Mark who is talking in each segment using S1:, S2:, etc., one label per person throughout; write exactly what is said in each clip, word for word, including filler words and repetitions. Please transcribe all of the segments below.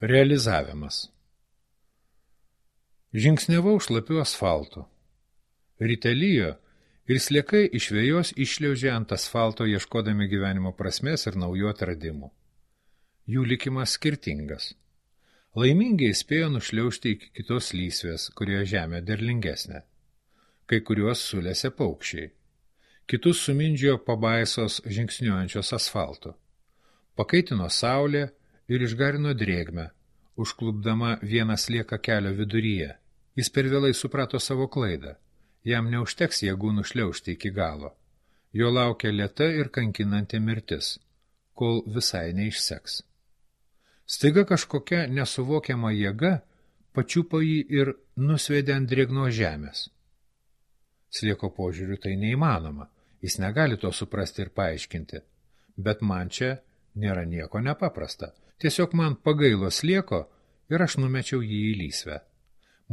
S1: Realizavimas. Žingsniavau šlapiu asfaltu. Ryte lijo ir sliekai iš vejos iššliaužė ant asfalto ieškodami gyvenimo prasmės ir naujų atradimų. Jų likimas skirtingas. Laimingiai spėjo nušliaužti iki kitos lysvės, kurioje žemė derlingesnė. Kai kuriuos sulėse paukščiai. Kitus sumindžiojo pabaisos žingsniuojančios asfaltu. Pakaitino saulė ir išgarino drėgmę, užklupdama vieną slieką kelio viduryje. Jis per vėlai suprato savo klaidą. Jam neužteks jėgų nušliaužti iki galo. Jo laukia lėta ir kankinanti mirtis, kol visai neišseks. Staiga kažkokia nesuvokiama jėga pačiupo jį ir nusvedė ant drėgnos žemės. Slieko požiūriu tai neįmanoma, jis negali to suprasti ir paaiškinti, bet man čia nėra nieko nepaprasta. Tiesiog man pagailo slieko ir aš numečiau jį į lysvę.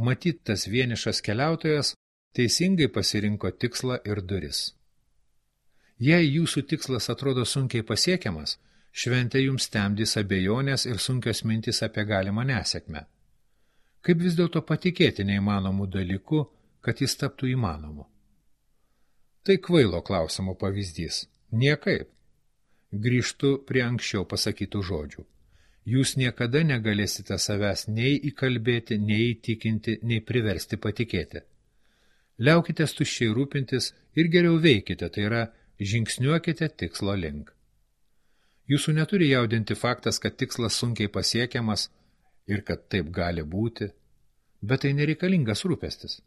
S1: Matyt, tas vienišas keliautojas teisingai pasirinko tikslą ir duris. Jei jūsų tikslas atrodo sunkiai pasiekiamas, šventė jums temdys abejonės ir sunkios mintys apie galimą nesėkmę. Kaip vis dėlto patikėti neįmanomų dalykų, kad jis taptų įmanomu? Tai kvailo klausimo pavyzdys. Niekaip. Grįžtu prie anksčiau pasakytų žodžių. Jūs niekada negalėsite savęs nei įkalbėti, nei įtikinti, nei priversti patikėti. Liaukitės tuščiai rūpintis ir geriau veikite, tai yra žingsniuokite tikslo link. Jūsų neturi jaudinti faktas, kad tikslas sunkiai pasiekiamas ir kad taip gali būti, bet tai nereikalingas rūpestis.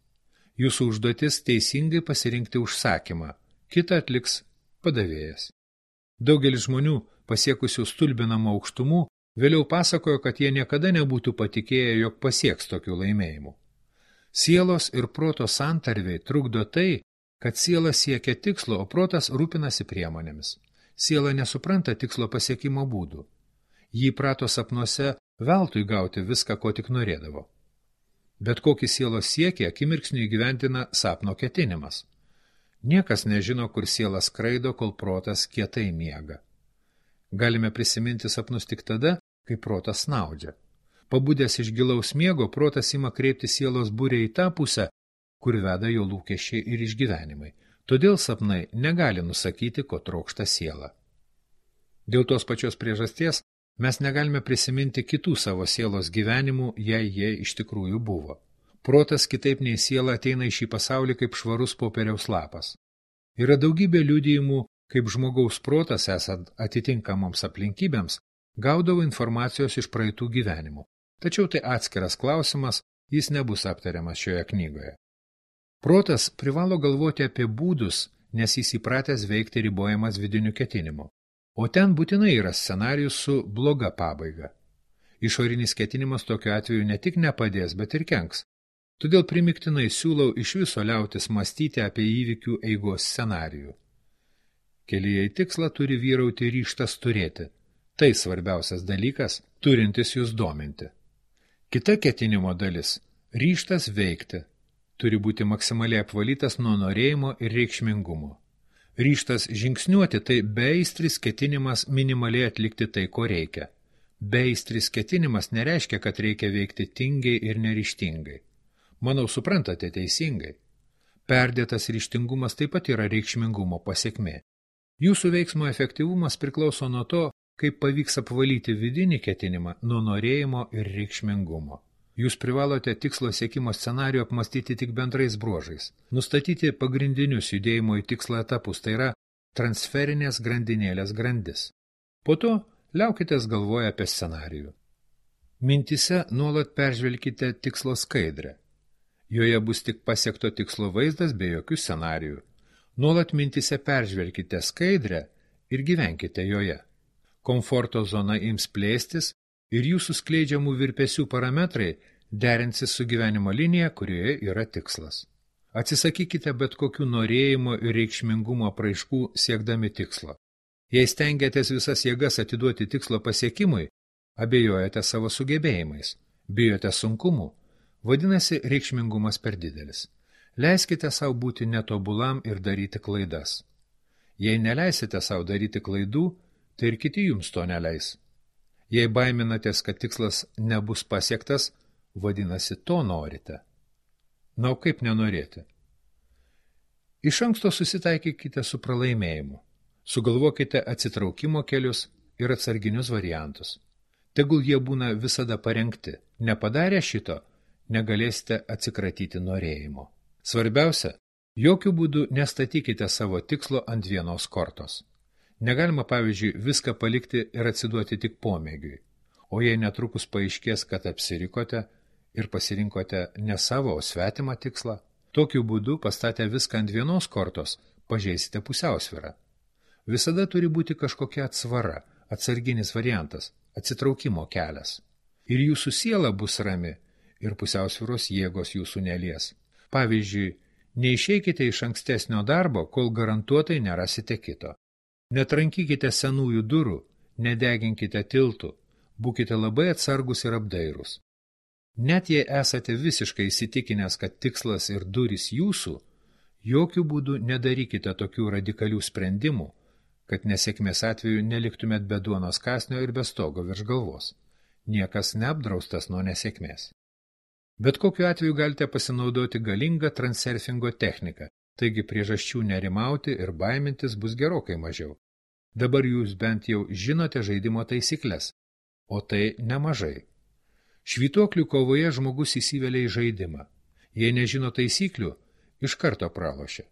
S1: Jūsų užduotis teisingai pasirinkti užsakymą, kitą atliks padavėjas. Daugelis žmonių, pasiekusių stulbinamų aukštumų, vėliau pasakojo, kad jie niekada nebūtų patikėję, jog pasieks tokių laimėjimų. Sielos ir proto santarviai trukdo tai, kad siela siekia tikslo, o protas rūpinasi priemonėmis. Siela nesupranta tikslo pasiekimo būdų. Jį prato sapnuose veltui gauti viską, ko tik norėdavo. Bet kokį sielos siekį akimirksniu įgyvendina sapno ketinimas. Niekas nežino, kur siela skraido, kol protas kietai miega. Galime prisiminti sapnus tik tada, kai protas snaudžia. Pabudęs iš gilaus miego, protas ima kreipti sielos būrę į tą pusę, kur veda jo lūkesčiai ir išgyvenimai. Todėl sapnai negali nusakyti, ko trokšta siela. Dėl tos pačios priežasties mes negalime prisiminti kitų savo sielos gyvenimų, jei jie iš tikrųjų buvo. Protas kitaip nei siela ateina į šį pasaulį kaip švarus popieriaus lapas. Yra daugybė liudijimų, kaip žmogaus protas, esant atitinkamoms aplinkybėms, gaudavo informacijos iš praeitų gyvenimų. Tačiau tai atskiras klausimas, jis nebus aptariamas šioje knygoje. Protas privalo galvoti apie būdus, nes jis įpratęs veikti ribojamas vidiniu ketinimu. O ten būtinai yra scenarijus su bloga pabaiga. Išorinis ketinimas tokiu atveju ne tik nepadės, bet ir kenks. Todėl primiktinai siūlau iš viso liautis mąstyti apie įvykių eigos scenarijų. Kelyje į tikslą turi vyrauti ryžtas turėti. Tai svarbiausias dalykas, turintis jūs dominti. Kita ketinimo dalis – ryžtas veikti. Turi būti maksimaliai apvalytas nuo norėjimo ir reikšmingumo. Ryžtas žingsniuoti – tai beaistris ketinimas minimaliai atlikti tai, ko reikia. Beaistris ketinimas nereiškia, kad reikia veikti tingiai ir neryžtingai. Manau, suprantate teisingai. Perdėtas ryžtingumas taip pat yra reikšmingumo pasekmė. Jūsų veiksmo efektyvumas priklauso nuo to, kaip pavyks apvalyti vidinį ketinimą nuo norėjimo ir reikšmingumo. Jūs privalote tikslo siekimo scenarijų apmastyti tik bendrais bruožais, nustatyti pagrindinius judėjimo į tikslą etapus, tai yra transferinės grandinėlės grandis. Po to liaukitės galvoja apie scenarijų. Mintise nuolat peržvelkite tikslo skaidrę. Joje bus tik pasiekto tikslo vaizdas be jokių scenarijų. Nuolat mintise peržvelkite skaidrę ir gyvenkite joje. Komforto zona ims plėstis ir jūsų skleidžiamų virpesių parametrai derinsis su gyvenimo linija, kurioje yra tikslas. Atsisakykite bet kokių norėjimo ir reikšmingumo apraiškų siekdami tikslo. Jei stengiatės visas jėgas atiduoti tikslo pasiekimui, abejojate savo sugebėjimais, bijote sunkumų, vadinasi reikšmingumas per didelis. Leiskite savo būti netobulam ir daryti klaidas. Jei neleisite savo daryti klaidų, tai ir kiti jums to neleis. Jei baiminatės, kad tikslas nebus pasiektas, vadinasi, to norite. Na, o kaip nenorėti? Iš anksto susitaikykite su pralaimėjimu. Sugalvokite atsitraukimo kelius ir atsarginius variantus. Tegul jie būna visada parengti. Nepadarę šito, negalėsite atsikratyti norėjimo. Svarbiausia, jokių būdų nestatykite savo tikslo ant vienos kortos. Negalima, pavyzdžiui, viską palikti ir atsiduoti tik pomėgiui. O jei netrukus paaiškės, kad apsirikote ir pasirinkote ne savo, o svetimą tikslą, tokiu būdu pastatę viską ant vienos kortos, pažeisite pusiausvyrą. Visada turi būti kažkokia atsvara, atsarginis variantas, atsitraukimo kelias. Ir jūsų siela bus rami, ir pusiausvyros jėgos jūsų nelies. Pavyzdžiui, neišeikite iš ankstesnio darbo, kol garantuotai nerasite kito. Netrankykite senųjų durų, nedeginkite tiltų, būkite labai atsargus ir apdairūs. Net jei esate visiškai įsitikinęs, kad tikslas ir durys jūsų, jokių būdų nedarykite tokių radikalių sprendimų, kad nesėkmės atveju neliktumėt be duonos kąsnio ir be stogo virš galvos. Niekas neapdraustas nuo nesėkmės. Bet kokiu atveju galite pasinaudoti galingą transurfingo techniką, taigi priežasčių nerimauti ir baimintis bus gerokai mažiau. Dabar jūs bent jau žinote žaidimo taisyklės, o tai nemažai. Švytuoklių kovoje žmogus įsivelia į žaidimą. Jei nežino taisyklių, iš karto pralošia.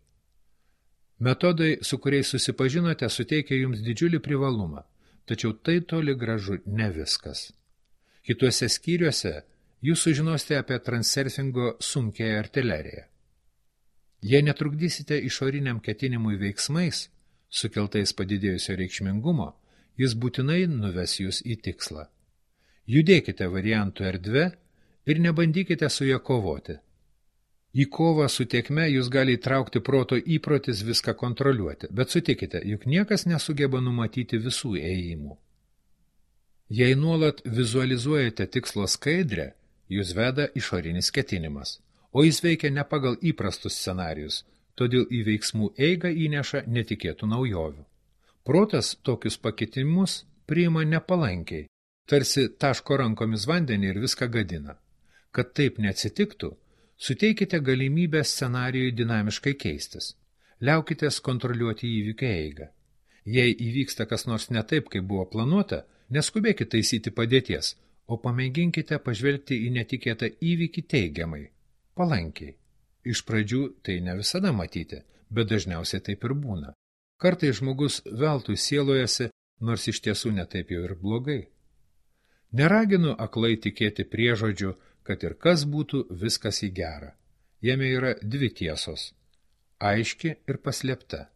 S1: Metodai, su kuriais susipažinote, suteikia jums didžiulį privalumą, tačiau tai toli gražu ne viskas. Kituose skyriuose jūs sužinosite apie transurfingo sunkiąją artileriją. Jei netrukdysite išoriniam ketinimui veiksmais, sukeltais padidėjusio reikšmingumo, jis būtinai nuves jūs į tikslą. Judėkite variantų erdve ir nebandykite su ją kovoti. Į kovą su tėkme jūs gali įtraukti proto įprotis viską kontroliuoti, bet sutikite, juk niekas nesugeba numatyti visų ėjimų. Jei nuolat vizualizuojate tikslo skaidrę, jūs veda išorinis ketinimas, o jis veikia ne pagal įprastus scenarijus, todėl į veiksmų eigą įneša netikėtų naujovių. Protas tokius pakitimus priima nepalankiai, tarsi taško rankomis vandenį ir viską gadina. Kad taip neatsitiktų, suteikite galimybę scenarijui dinamiškai keistis. Liaukitės kontroliuoti įvykių eigą. Jei įvyksta kas nors ne taip, kaip buvo planuota, neskubėkite taisyti padėties, o pamėginkite pažvelgti į netikėtą įvykį teigiamai, palankiai. Iš pradžių tai ne visada matyti, bet dažniausiai taip ir būna. Kartais žmogus veltui sielojasi, nors iš tiesų netaip jau ir blogai. Neraginu aklai tikėti priežodžiu, kad ir kas būtų, viskas į gerą. Jame yra dvi tiesos – aiški ir paslėpta.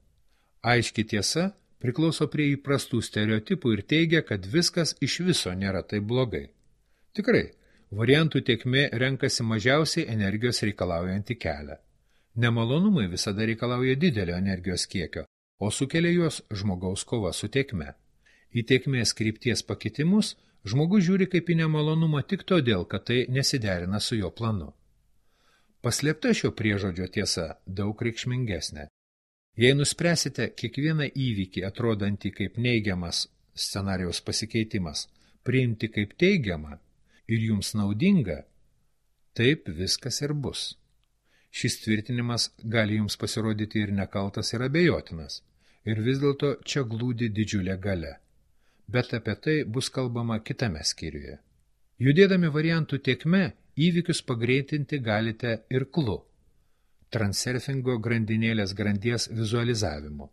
S1: Aiški tiesa priklauso prie įprastų stereotipų ir teigia, kad viskas iš viso nėra taip blogai. Tikrai, variantų tėkmė renkasi mažiausiai energijos reikalaujantį kelią. Nemalonumai visada reikalauja didelio energijos kiekio, o sukelia juos žmogaus kova su tėkme. Į tėkmės krypties pakitimus žmogus žiūri kaip į nemalonumą tik todėl, kad tai nesiderina su jo planu. Paslėpta šio priežodžio tiesa daug reikšmingesnė. Jei nuspręsite kiekvieną įvykį atrodantį kaip neigiamas scenarijaus pasikeitimas, priimti kaip teigiamą ir jums naudinga, taip viskas ir bus. Šis tvirtinimas gali jums pasirodyti ir nekaltas, ir abejotinas, ir vis dėlto čia glūdi didžiulė galia. Bet apie tai bus kalbama kitame skyriuje. Judėdami variantų tėkme, įvykius pagreitinti galite ir klu, transurfingo grandinėlės grandies vizualizavimu.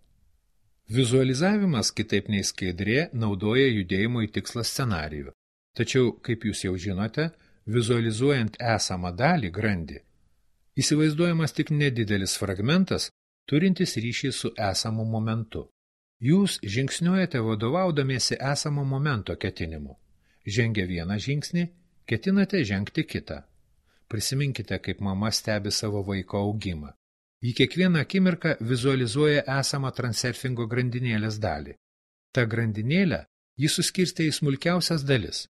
S1: Vizualizavimas, kitaip nei skaidrė, naudoja judėjimo į tikslą scenarijų. Tačiau, kaip jūs jau žinote, vizualizuojant esamą dalį grandį, įsivaizduojamas tik nedidelis fragmentas, turintis ryšį su esamu momentu. Jūs žingsniuojate vadovaudamiesi esamo momento ketinimu. Žengę vieną žingsnį, ketinate žengti kitą. Prisiminkite, kaip mama stebi savo vaiko augimą. Į kiekvieną akimirką vizualizuoja esamą transurfingo grandinėlės dalį. Ta grandinėlę jis suskirstė į smulkiausias dalis.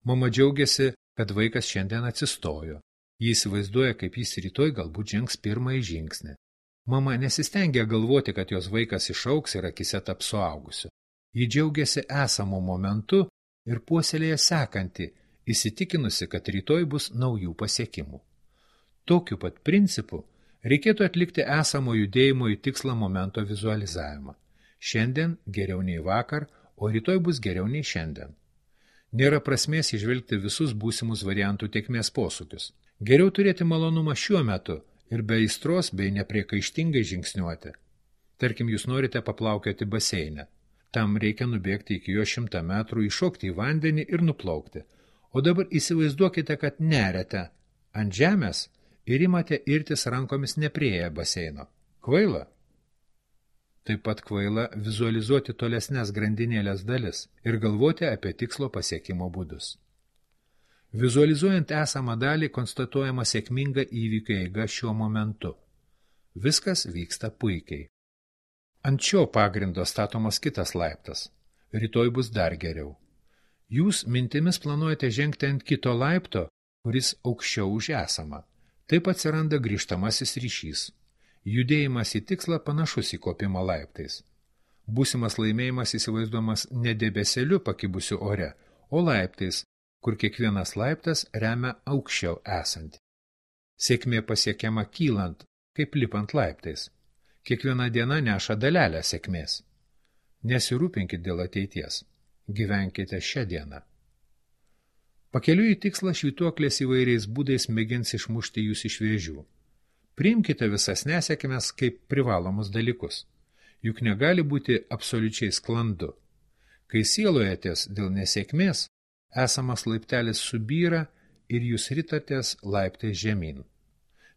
S1: Mama džiaugiasi, kad vaikas šiandien atsistojo. Jis įsivaizduoja, kaip jis rytoj galbūt žengs pirmąjį žingsnį. Mama nesistengia galvoti, kad jos vaikas išaugs ir akise taps suaugusiu. Ji džiaugiasi esamu momentu ir puoselėja sekantį, įsitikinusi, kad rytoj bus naujų pasiekimų. Tokiu pat principu reikėtų atlikti esamo judėjimo į tikslą momento vizualizavimą. Šiandien geriau nei vakar, o rytoj bus geriau nei šiandien. Nėra prasmės įžvelgti visus būsimus variantų tėkmės posūkius. Geriau turėti malonumą šiuo metu ir be aistros bei nepriekaištingai žingsniuoti. Tarkim, jūs norite paplaukioti baseine. Tam reikia nubėgti iki jo šimtą metrų, įšokti į vandenį ir nuplaukti. O dabar įsivaizduokite, kad neriate ant žemės ir imate irtis rankomis neprieėję baseino. Kvaila? Taip pat kvaila vizualizuoti tolesnes grandinėlės dalis ir galvoti apie tikslo pasiekimo būdus. Vizualizuojant esamą dalį konstatuojama sėkminga įvykių eiga šiuo momentu. Viskas vyksta puikiai. Ant šio pagrindo statomas kitas laiptas. Rytoj bus dar geriau. Jūs mintimis planuojate žengti ant kito laipto, kuris aukščiau už esamą. Taip atsiranda grįžtamasis ryšys. Judėjimas į tikslą panašus į kopimą laiptais. Būsimas laimėjimas įsivaizduojamas ne debesėliu pakibusiu ore, o laiptais, kur kiekvienas laiptas remia aukščiau esantį. Sėkmė pasiekiama kylant, kaip lipant laiptais. Kiekviena diena neša dalelę sėkmės. Nesirūpinkit dėl ateities. Gyvenkite šią dieną. Pakeliui į tikslą švytuoklės įvairiais būdais mėgins išmušti jūs iš vėžių. Priimkite visas nesėkmes kaip privalomus dalykus. Juk negali būti absoliučiai sklandu. Kai sielojatės dėl nesėkmės, esamas laiptelis subyra ir jūs ritatės laiptais žemyn.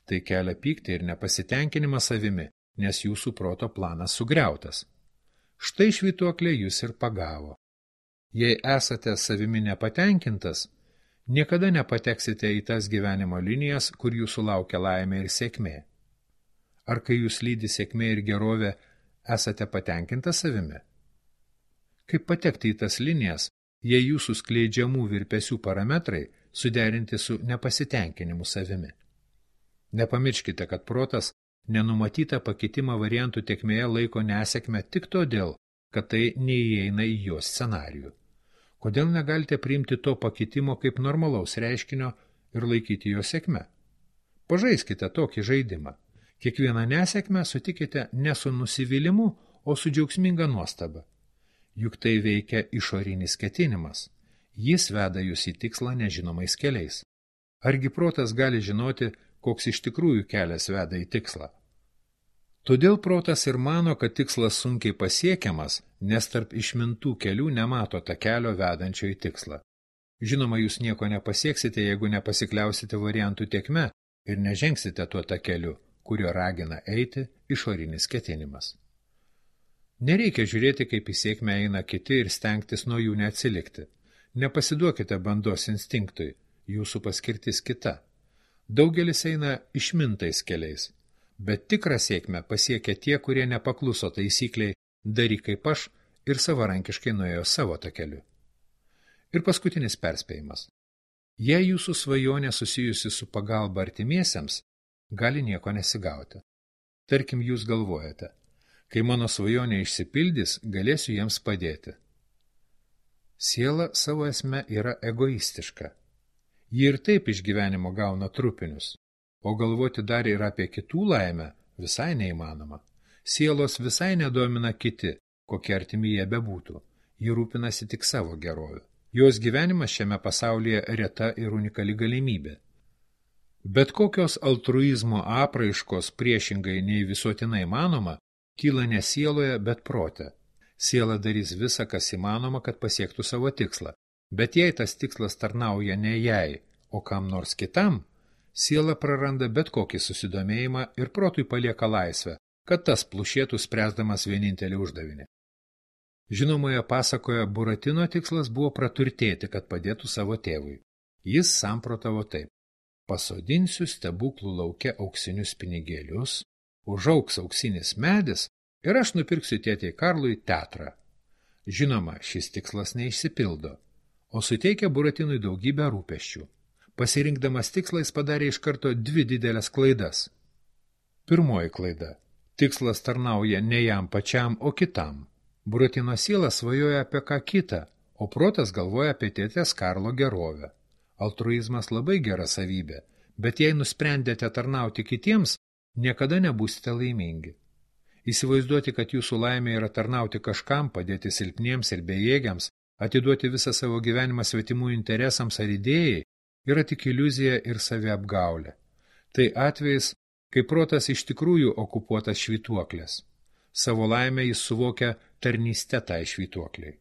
S1: Tai kelia pyktį ir nepasitenkinimą savimi, nes jūsų proto planas sugriautas. Štai švytuoklė jūs ir pagavo. Jei esate savimi nepatenkintas, niekada nepateksite į tas gyvenimo linijas, kur jūsų laukia laimė ir sėkmė. Ar kai jūs lydi sėkmė ir gerovė, esate patenkintas savimi? Kaip patekti į tas linijas, jei jūsų skleidžiamų virpesių parametrai suderinti su nepasitenkinimu savimi? Nepamirškite, kad protas nenumatytą pakitimą variantų tėkmėje laiko nesėkmę tik todėl, kad tai neįeina į jo scenarijų. Kodėl negalite priimti to pakitimo kaip normalaus reiškinio ir laikyti jo sėkme? Pažaiskite tokį žaidimą. Kiekvieną nesėkmę sutikite ne su nusivylimu, o su džiaugsminga nuostaba. Juk tai veikia išorinis ketinimas. Jis veda jūs į tikslą nežinomais keliais. Argi protas gali žinoti, koks iš tikrųjų kelias veda į tikslą? Todėl protas ir mano, kad tikslas sunkiai pasiekiamas, nes tarp išmintų kelių nemato ta kelio vedančio į tikslą. Žinoma, jūs nieko nepasieksite, jeigu nepasikliausite variantų tėkme ir nežengsite tuo ta keliu, kurio ragina eiti išorinis ketinimas. Nereikia žiūrėti, kaip į sėkmę eina kiti ir stengtis nuo jų neatsilikti. Nepasiduokite bandos instinktui, jūsų paskirtis kita. Daugelis eina išmintais keliais. Bet tikrą sėkmę pasiekia tie, kurie nepakluso taisykliai daryk kaip aš ir savarankiškai nuėjo savo takeliu. Ir paskutinis perspėjimas. Jei jūsų svajonė susijusi su pagalba artimiesiems, gali nieko nesigauti. Tarkim, jūs galvojate, kai mano svajonė išsipildys, galėsiu jiems padėti. Siela savo esme yra egoistiška. Ji ir taip iš gyvenimo gauna trupinius. O galvoti dar ir apie kitų laimę visai neįmanoma. Sielos visai nedomina kiti, kokie artimi jie bebūtų. Ji rūpinasi tik savo gerovę. Jos gyvenimas šiame pasaulyje reta ir unikali galimybė. Bet kokios altruizmo apraiškos priešingai nei visuotinai įmanoma, kyla ne sieloje, bet prote. Siela darys visą, kas įmanoma, kad pasiektų savo tikslą. Bet jei tas tikslas tarnauja ne jai, o kam nors kitam, siela praranda bet kokį susidomėjimą ir protui palieka laisvę, kad tas plušėtų spręsdamas vienintelį uždavinį. Žinomoje pasakoje Buratino tikslas buvo praturtėti, kad padėtų savo tėvui. Jis samprotavo taip. Pasodinsiu stebuklų lauke auksinius pinigėlius, užaugs auksinis medis ir aš nupirksiu tėtei Karlui teatrą. Žinoma, šis tikslas neišsipildo, o suteikia Buratinui daugybę rūpesčių. Pasirinkdamas tikslą jis padarė iš karto dvi didelės klaidas. Pirmoji klaida. Tikslas tarnauja ne jam pačiam, o kitam. Buratino siela svajoja apie ką kitą, o protas galvoja apie tėtės Karlo gerovę. Altruizmas labai gera savybė, bet jei nusprendėte tarnauti kitiems, niekada nebūsite laimingi. Įsivaizduoti, kad jūsų laimė yra tarnauti kažkam, padėti silpniems ir bejėgiams, atiduoti visą savo gyvenimą svetimų interesams ar idėjai, yra tik iliuzija ir saviapgaulė. Tai atvejis, kai protas iš tikrųjų okupuotas švytuoklės. Savo laimę jis suvokia tarnyste tai švytuokliai.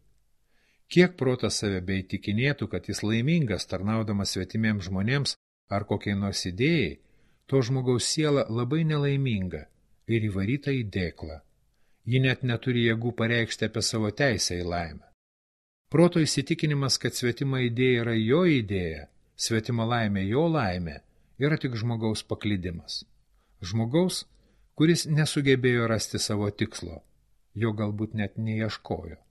S1: Kiek protas save beįtikinėtų, kad jis laimingas tarnaudamas svetimiems žmonėms ar kokiai nors idėjai, to žmogaus siela labai nelaiminga ir įvaryta į dėklą. Ji net neturi jėgų pareikšti apie savo teisę į laimę. Proto įsitikinimas, kad svetima idėja yra jo idėja, svetima laimė jo laimė, yra tik žmogaus paklydimas. Žmogaus, kuris nesugebėjo rasti savo tikslo, jo galbūt net neieškojo.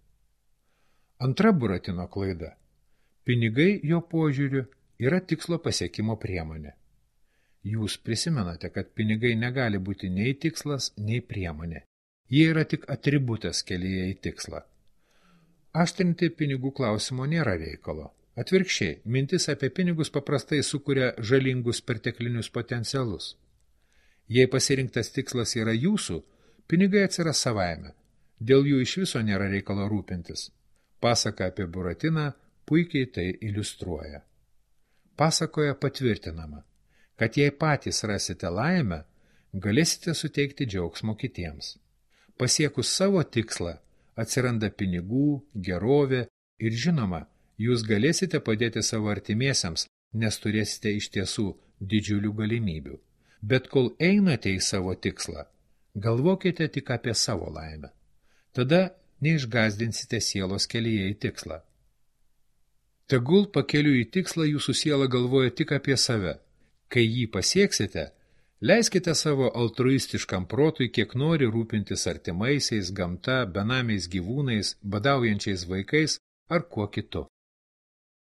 S1: Antra Buratino klaida. Pinigai jo požiūriu yra tikslo pasiekimo priemonė. Jūs prisimenate, kad pinigai negali būti nei tikslas, nei priemonė. Jie yra tik atributas kelyje į tikslą. Aštrinti pinigų klausimo nėra reikalo. Atvirkščiai, mintis apie pinigus paprastai sukuria žalingus perteklinius potencialus. Jei pasirinktas tikslas yra jūsų, pinigai atsiras savaime. Dėl jų iš viso nėra reikalo rūpintis. Pasaka apie Buratiną puikiai tai iliustruoja. Pasakoje patvirtinama, kad jei patys rasite laimę, galėsite suteikti džiaugsmo kitiems. Pasiekus savo tikslą, atsiranda pinigų, gerovė ir žinoma, jūs galėsite padėti savo artimiesiems, nes turėsite iš tiesų didžiulių galimybių. Bet kol einate į savo tikslą, galvokite tik apie savo laimę. Tada neišgąsdinsite sielos kelyje į tikslą. Tegul pakeliui į tikslą jūsų siela galvoja tik apie save. Kai jį pasieksite, leiskite savo altruistiškam protui kiek nori rūpintis artimaisiais, gamta, benamiais gyvūnais, badaujančiais vaikais ar kuo kitu.